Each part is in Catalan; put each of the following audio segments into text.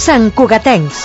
Santcugatencs.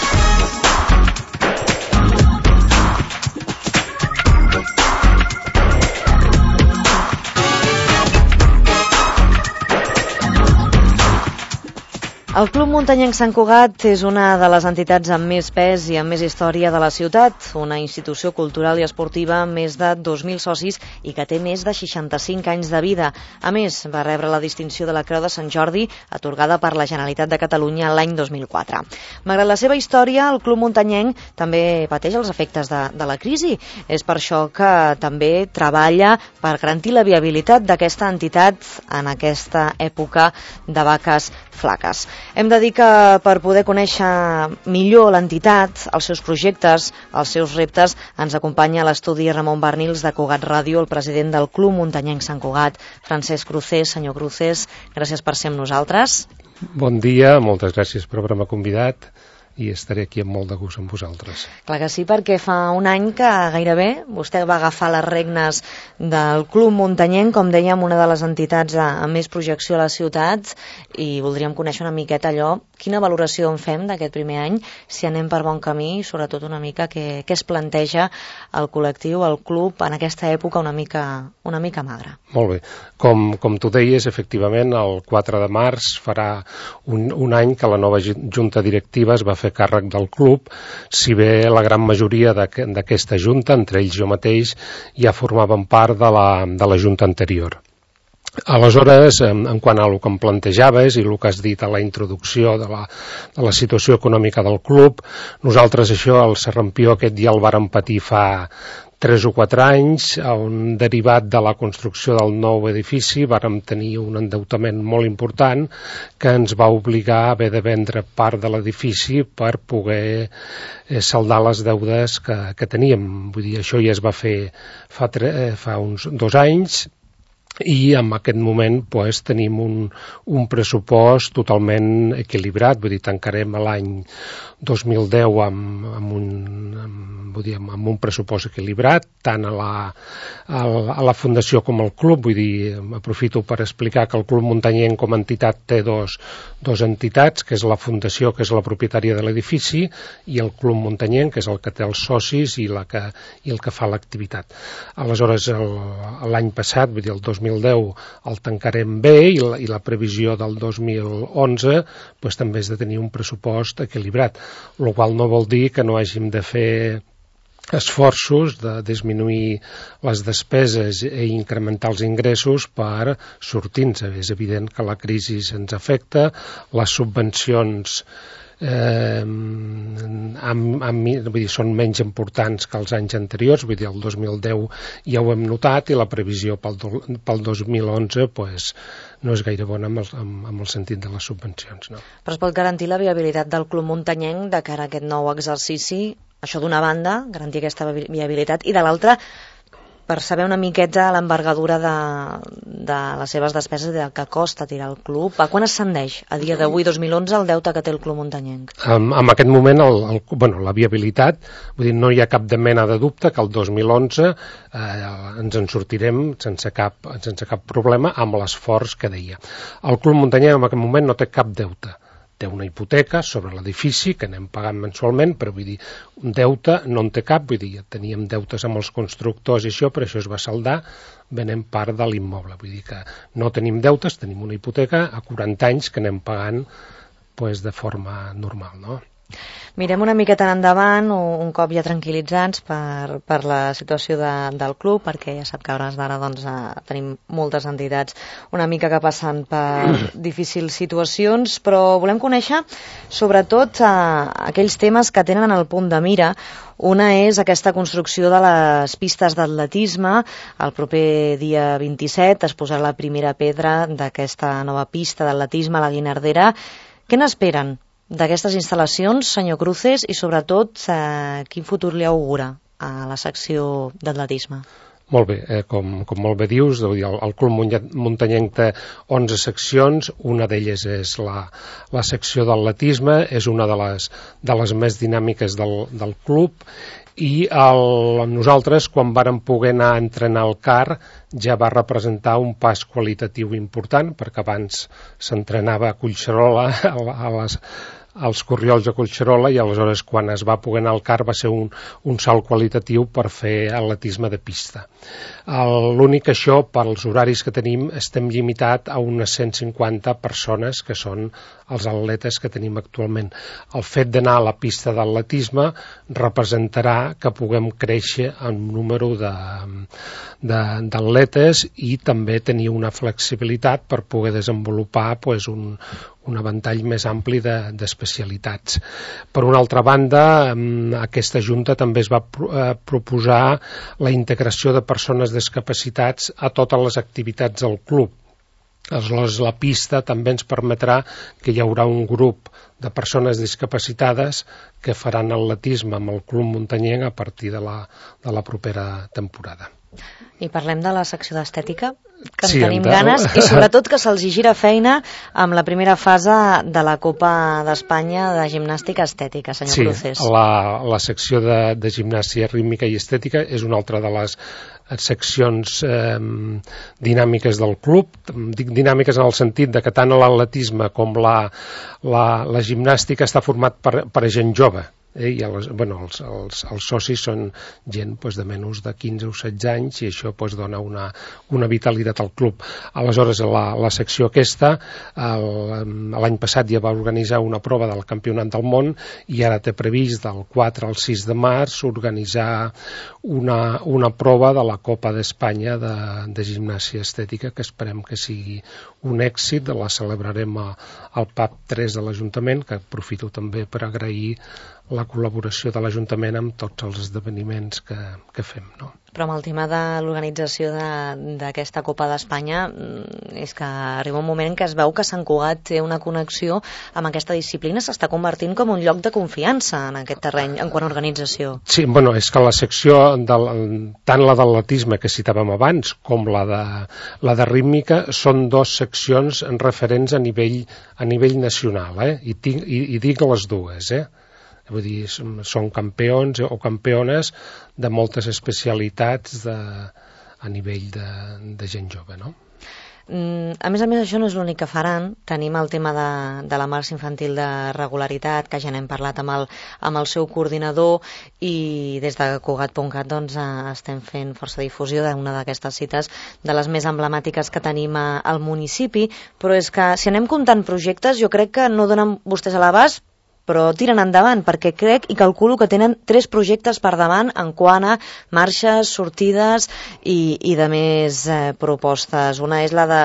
El Club Muntanyenc Sant Cugat és una de les entitats amb més pes i amb més història de la ciutat, una institució cultural i esportiva amb més de 2.000 socis i que té més de 65 anys de vida. A més, va rebre la distinció de la Creu de Sant Jordi, atorgada per la Generalitat de Catalunya l'any 2004. Malgrat la seva història, el Club Muntanyenc també pateix els efectes de la crisi. És per això que també treballa per garantir la viabilitat d'aquesta entitat en aquesta època de vaques flaques. Hem de dir que per poder conèixer millor l'entitat, els seus projectes, els seus reptes, ens acompanya a l'estudi Ramon Barnils de Cugat Ràdio, el president del Club Muntanyenc Sant Cugat, Francesc Crucés. Senyor Crucés, gràcies per ser amb nosaltres. Bon dia, moltes gràcies per haver-me convidat i estaré aquí amb molt de gust amb vosaltres. Clar que sí, perquè fa un any que gairebé vostè va agafar les regnes del Club Muntanyenc, com dèiem, una de les entitats amb més projecció a la ciutat, i voldríem conèixer una miqueta allò, quina valoració en fem d'aquest primer any, si anem per bon camí i sobretot una mica què es planteja el col·lectiu, el club, en aquesta època una mica magra. Molt bé. Com tu deies, efectivament, el 4 de març farà un any que la nova junta directiva es va fer càrrec del club, si bé la gran majoria d'aquesta junta, entre ells jo mateix, ja formaven part de la junta anterior. Aleshores, en quant a el que em plantejaves i el que has dit a la introducció de la situació econòmica del club, nosaltres això, el Serrampió, aquest dia el vàrem patir fa 3 o 4 anys, on derivat de la construcció del nou edifici vàrem tenir un endeutament molt important que ens va obligar a haver de vendre part de l'edifici per poder saldar les deudes que teníem. Vull dir, això ja es va fer fa uns 2 anys, i en aquest moment tenim un pressupost totalment equilibrat, vull dir, tancarem l'any 2010 amb un pressupost equilibrat, tant a la Fundació com al club. Vull dir, aprofito per explicar que el Club Muntanyenc com a entitat té dos entitats, que és la Fundació, que és la propietària de l'edifici, i el Club Muntanyenc, que és el que té els socis i el que fa l'activitat. Aleshores, l'any passat, vull dir, el 2010, el tancarem bé, i la previsió del 2011 també és de tenir un pressupost equilibrat, el qual no vol dir que no hàgim de fer esforços de disminuir les despeses i incrementar els ingressos per sortir-nos. És evident que la crisi ens afecta, les subvencions són menys importants que els anys anteriors, vull dir, el 2010 ja ho hem notat, i la previsió pel 2011 no és gaire bona amb el sentit de les subvencions. No? Però es pot garantir la viabilitat del Club Muntanyenc de cara a aquest nou exercici? Això d'una banda, garantir aquesta viabilitat, i de l'altra, per saber una miqueta l'envergadura de les seves despeses i del que costa tirar el club. A quan ascendeix, a dia d'avui, 2011, el deute que té el Club Muntanyenc? En aquest moment, la viabilitat, vull dir, no hi ha cap de mena de dubte que el 2011 ens en sortirem sense cap problema amb l'esforç que deia. El Club Muntanyenc en aquest moment no té cap deute. Té una hipoteca sobre l'edifici que anem pagant mensualment, però vull dir, un deute no en té cap, vull dir, teníem deutes amb els constructors i això, però això es va saldar venent part de l'immoble. Vull dir que no tenim deutes, tenim una hipoteca a 40 anys que anem pagant de forma normal, no? Mirem una miqueta endavant, un cop ja tranquil·litzats per la situació del club, perquè ja sap que a hores d'ara tenim moltes entitats una mica que passen per difícils situacions, però volem conèixer sobretot aquells temes que tenen en el punt de mira. Una és aquesta construcció de les pistes d'atletisme. El proper dia 27 es posarà la primera pedra d'aquesta nova pista d'atletisme a la Guinardera. Què n'esperen d'aquestes instal·lacions, senyor Cruces, i sobretot quin futur li augura a la secció d'atletisme? Molt bé, com molt bé dius, el Club Muntanyenc té 11 seccions, una d'elles és la secció d'atletisme, és una de les més dinàmiques del club, i nosaltres, quan vàrem poder anar a entrenar al CAR, ja va representar un pas qualitatiu important, perquè abans s'entrenava a Collserola, als Corriols de Collserola, i aleshores quan es va poder anar al CAR va ser un salt qualitatiu per fer atletisme de pista. L'únic que això, pels horaris que tenim, estem limitat a unes 150 persones, que són els atletes que tenim actualment. El fet d'anar a la pista d'atletisme representarà que puguem créixer en número d'atletes i també tenir una flexibilitat per poder desenvolupar un ventall més ampli d'especialitats. Per una altra banda, aquesta Junta també es va proposar la integració de persones discapacitats a totes les activitats del club. Aleshores, la pista també ens permetrà que hi haurà un grup de persones discapacitades que faran atletisme amb el Club Muntanyenc a partir de la propera temporada. I parlem de la secció d'estètica, que en tenim ganes, i sobretot que se'ls gira feina amb la primera fase de la Copa d'Espanya de gimnàstica estètica, senyor Cruces. Sí, la secció de gimnàstica rítmica i estètica és una altra de les seccions dinàmiques del club. Dic dinàmiques en el sentit de que tant l'atletisme com la gimnàstica està format per gent jove. I els socis són gent de menys de 15 o 16 anys i això dona una vitalitat al club. Aleshores, la secció aquesta, l'any passat ja va organitzar una prova del Campionat del Món i ara té previst del 4 al 6 de març organitzar una prova de la Copa d'Espanya de gimnàsia estètica, que esperem que sigui un èxit. La celebrarem al PAP 3 de l'Ajuntament, que aprofito també per agrair la col·laboració de l'Ajuntament amb tots els esdeveniments que fem, no? Però amb el tema de l'organització d'aquesta Copa d'Espanya és que arriba un moment en què es veu que Sant Cugat té una connexió amb aquesta disciplina, s'està convertint com un lloc de confiança en aquest terreny en quant a organització. Sí, és que la secció, tant la d'atletisme que citàvem abans com la de rítmica, són dues seccions referents a nivell nacional, i dic les dues, Vull dir, són campions o campiones de moltes especialitats a nivell de gent jove, no? A més, això no és l'únic que faran. Tenim el tema de la marxa infantil de regularitat, que ja n'hem parlat amb el seu coordinador, i des de Cugat.cat estem fent força difusió d'una d'aquestes cites, de les més emblemàtiques que tenim al municipi, però és que si anem comptant projectes, jo crec que no donen vostès a l'abast, però tiren endavant, perquè crec i calculo que tenen 3 projectes per davant en quant a marxes, sortides i de més propostes. Una és la de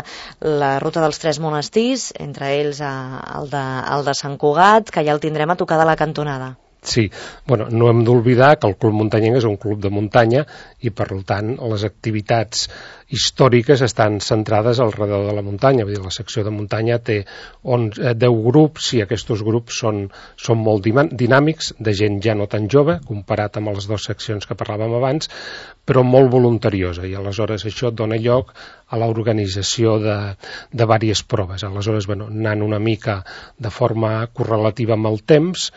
la ruta dels 3 monestirs, entre ells el de Sant Cugat, que ja el tindrem a tocar de la cantonada. Sí, no hem d'oblidar que el Club Muntanyenc és un club de muntanya i, per tant, les activitats històriques estan centrades al redor de la muntanya. Vull dir, la secció de muntanya té 10 grups i aquests grups són molt dinàmics, de gent ja no tan jove, comparat amb les 2 seccions que parlàvem abans, però molt voluntariosa, i aleshores això dona lloc a l'organització de diverses proves. Aleshores, anant una mica de forma correlativa amb el temps,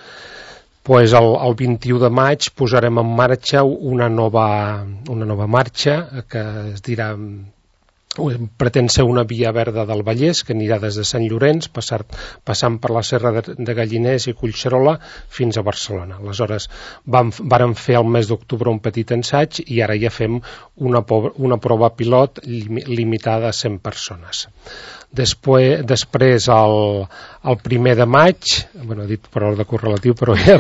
el 21 de maig posarem en marxa una nova marxa que es dirà, pretén ser una via verda del Vallès que anirà des de Sant Llorenç passant per la Serra de Galliners i Collserola fins a Barcelona. Aleshores vàrem fer al mes d'octubre un petit ensaig i ara ja fem una prova pilot limitada a 100 persones. Després, el 1 de maig, he dit per ordre correlatiu, però ja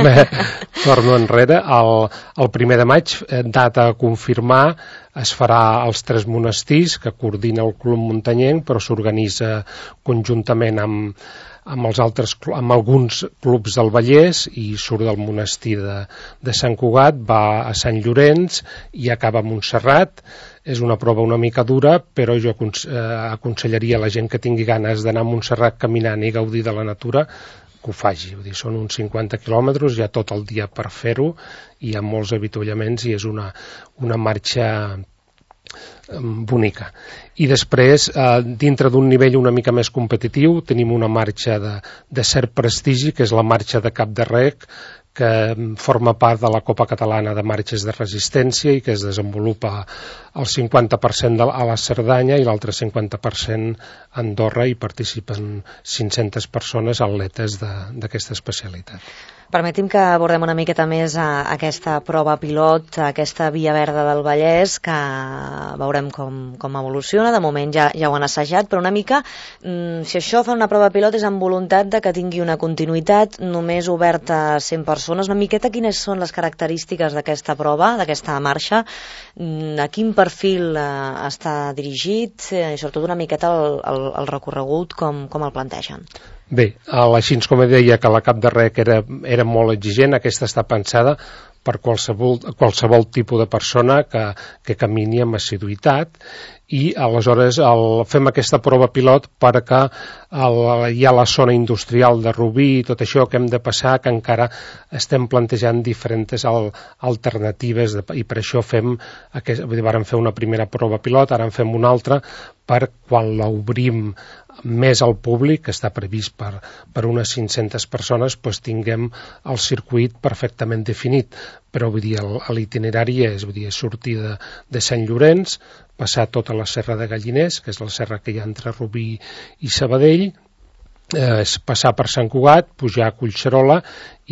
torno enrere, el 1 de maig, data a confirmar, es farà als 3 monestirs que coordina el Club Muntanyenc, però s'organitza conjuntament amb alguns clubs del Vallès i surt del monestir de Sant Cugat, va a Sant Llorenç i acaba a Montserrat. És una prova una mica dura, però jo aconsellaria a la gent que tingui ganes d'anar a Montserrat caminant i gaudir de la natura que ho faci. Vull dir, són uns 50 quilòmetres, hi ha tot el dia per fer-ho, hi ha molts avituallaments i és una marxa bonica. I després, dintre d'un nivell una mica més competitiu, tenim una marxa de cert prestigi, que és la marxa de Cap de Rec, que forma part de la Copa Catalana de Marxes de Resistència i que es desenvolupa el 50% a la Cerdanya i l'altre 50% a Andorra, i participen 500 persones atletes d'aquesta especialitat. Permeti'm que abordem una miqueta més aquesta prova pilot, aquesta Via Verda del Vallès, que veurem com evoluciona. De moment ja ho han assajat, però una mica, si això fa una prova pilot és amb voluntat de que tingui una continuïtat, només oberta a 100 persones. Una miqueta quines són les característiques d'aquesta prova, d'aquesta marxa, a quin perfil està dirigit, i sobretot una miqueta el recorregut, com el plantegen. Bé, així com deia que la Cap de Rec era molt exigent, aquesta està pensada per qualsevol tipus de persona que camini amb assiduïtat, i aleshores fem aquesta prova pilot perquè hi ha la zona industrial de Rubí i tot això que hem de passar, que encara estem plantejant diferents alternatives, i per això vàrem fer una primera prova pilot, ara en fem una altra, per quan l'obrim més al públic, que està previst per unes 500 persones, doncs tinguem el circuit perfectament definit. Però vull dir, l'itinerari és sortir de Sant Llorenç, passar tota la serra de Galliners, que és la serra que hi ha entre Rubí i Sabadell, passar per Sant Cugat, pujar a Collserola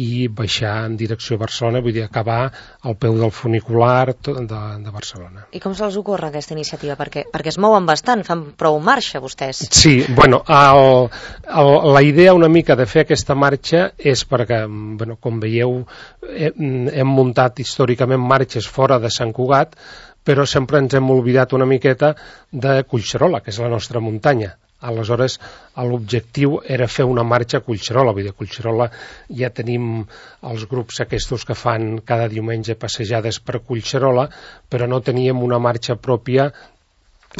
i baixar en direcció a Barcelona, vull dir, acabar al peu del funicular de Barcelona. I com se'ls ocorre aquesta iniciativa? Perquè es mouen bastant, fan prou marxa vostès. Sí, bueno, la idea una mica de fer aquesta marxa és perquè, com veieu, hem muntat històricament marxes fora de Sant Cugat, però sempre ens hem oblidat una miqueta de Collserola, que és la nostra muntanya. Aleshores, l'objectiu era fer una marxa a Collserola. Vull dir, a Collserola ja tenim els grups aquests que fan cada diumenge passejades per Collserola, però no teníem una marxa pròpia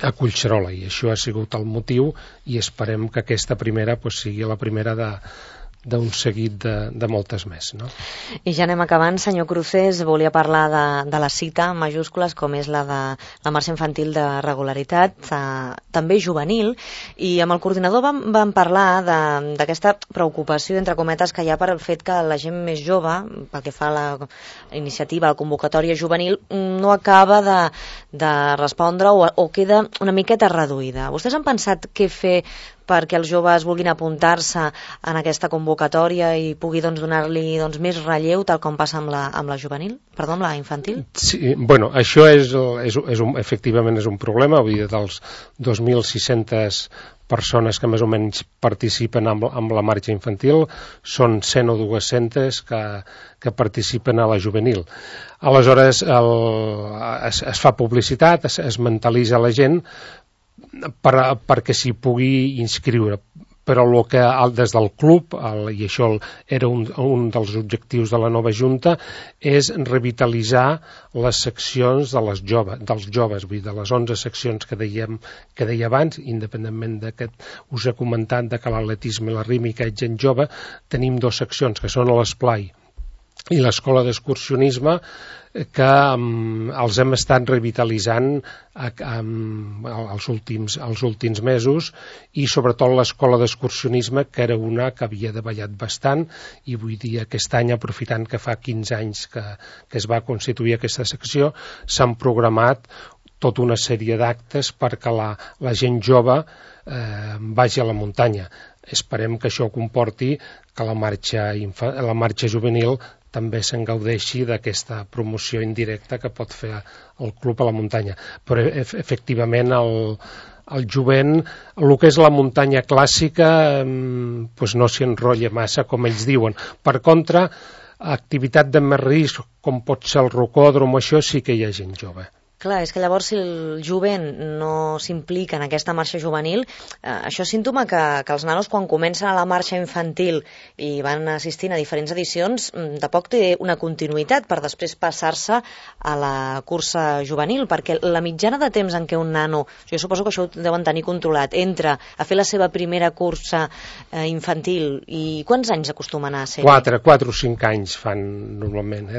a Collserola, i això ha sigut el motiu, i esperem que aquesta primera sigui la primera d'un seguit de moltes més, no? I ja anem acabant, senyor Cruces. Volia parlar de la cita en majúscules, com és la de la marxa infantil de regularitat, també juvenil, i amb el coordinador vam parlar d'aquesta preocupació, entre cometes, que hi ha per el fet que la gent més jove, pel que fa a la iniciativa, a la convocatòria juvenil, no acaba de respondre o queda una miqueta reduïda. Vostès han pensat què fer perquè els joves vulguin apuntar-se en aquesta convocatòria i pugui donar-li més relleu, tal com passa amb la juvenil? Perdó, amb la infantil? Sí, bueno, això efectivament és un problema. Vull dir, dels 2.600 persones que més o menys participen amb la marxa infantil, són 100 o 200 que participen a la juvenil. Aleshores, es fa publicitat, es mentalitza la gent perquè s'hi pugui inscriure, però el que des del club, i això era un dels objectius de la nova Junta, és revitalitzar les seccions dels joves, vull dir, de les 11 seccions que deia abans, independentment d'aquest, us he comentat que l'atletisme i la rítmica és gent jove, tenim 2 seccions, que són l'Esplai i l'Escola d'Excursionisme, que els hem estat revitalitzant els últims mesos, i sobretot l'Escola d'Excursionisme, que era una que havia davallat bastant, i vull dir, aquest any, aprofitant que fa 15 anys que es va constituir aquesta secció, s'han programat tota una sèrie d'actes perquè la gent jove vagi a la muntanya. Esperem que això comporti que la marxa juvenil també se'n gaudeixi d'aquesta promoció indirecta que pot fer el club a la muntanya. Però efectivament el jovent, el que és la muntanya clàssica, no s'hi enrotlla massa, com ells diuen. Per contra, activitat de més risc, com pot ser el rocòdrom, això sí que hi ha gent jove. Clar, és que llavors si el jovent no s'implica en aquesta marxa juvenil, això és símptoma que els nanos, quan comencen a la marxa infantil i van assistint a diferents edicions, tampoc té una continuïtat per després passar-se a la cursa juvenil, perquè la mitjana de temps en què un nano, jo suposo que això ho deuen tenir controlat, entra a fer la seva primera cursa infantil, i quants anys acostumen a ser? 4 o 5 anys fan normalment,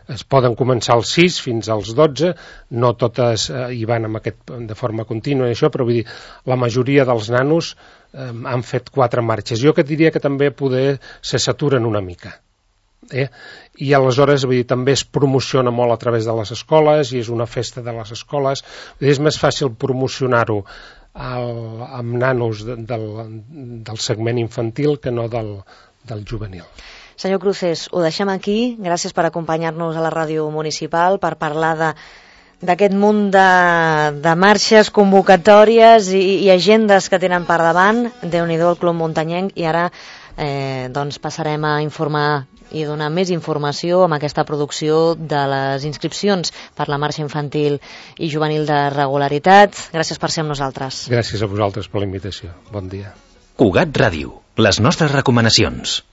es poden començar als 6 fins als 12, no totes hi van de forma contínua, però vull dir, la majoria dels nanos han fet 4 marxes. Jo que diria que també poder se saturen una mica. I aleshores també es promociona molt a través de les escoles i és una festa de les escoles. És més fàcil promocionar-ho amb nanos del segment infantil que no del juvenil. Senyor Cruces, ho deixem aquí. Gràcies per acompanyar-nos a la ràdio municipal per parlar d'aquest munt de marxes, convocatòries i agendes que tenen per davant. Déu-n'hi-do el Club Muntanyenc. I ara passarem a informar i donar més informació amb aquesta producció de les inscripcions per la marxa infantil i juvenil de regularitat. Gràcies per ser amb nosaltres. Gràcies a vosaltres per la invitació. Bon dia. Cugat Ràdio, les nostres recomanacions.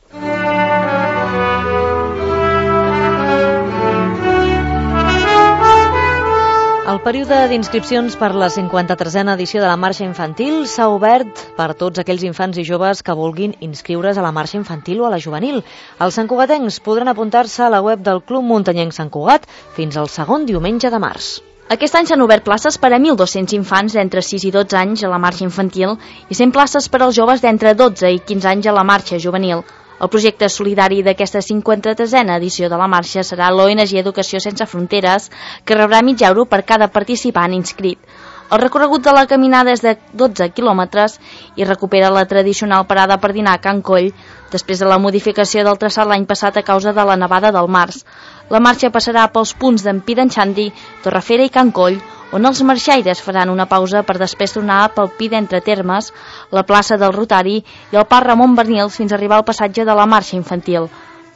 El període d'inscripcions per la 53a edició de la marxa infantil s'ha obert per tots aquells infants i joves que vulguin inscriure's a la marxa infantil o a la juvenil. Els santcugatencs podran apuntar-se a la web del Club Muntanyenc Sant Cugat fins al segon diumenge de març. Aquest any s'han obert places per a 1.200 infants d'entre 6 i 12 anys a la marxa infantil i 100 places per als joves d'entre 12 i 15 anys a la marxa juvenil. El projecte solidari d'aquesta 53a edició de la marxa serà l'ONG Educació Sense Fronteres, que rebrà mig euro per cada participant inscrit. El recorregut de la caminada és de 12 quilòmetres i recupera la tradicional parada per dinar a Can Coll, després de la modificació del traçat l'any passat a causa de la nevada del març. La marxa passarà pels punts d'en Pi d'en Xandi, Torrefera i Can Coll, on els marxaires faran una pausa per després tornar pel Pi d'Entre Termes, la plaça del Rotari i el Parc Ramon Bernils fins a arribar al passatge de la marxa infantil.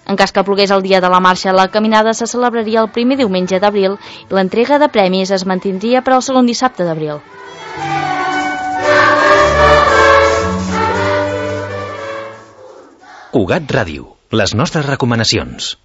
En cas que plogués el dia de la marxa, la caminada se celebraria el primer diumenge d'abril i l'entrega de premis es mantindria per al segon dissabte d'abril. Cugat Ràdio, les nostres recomanacions.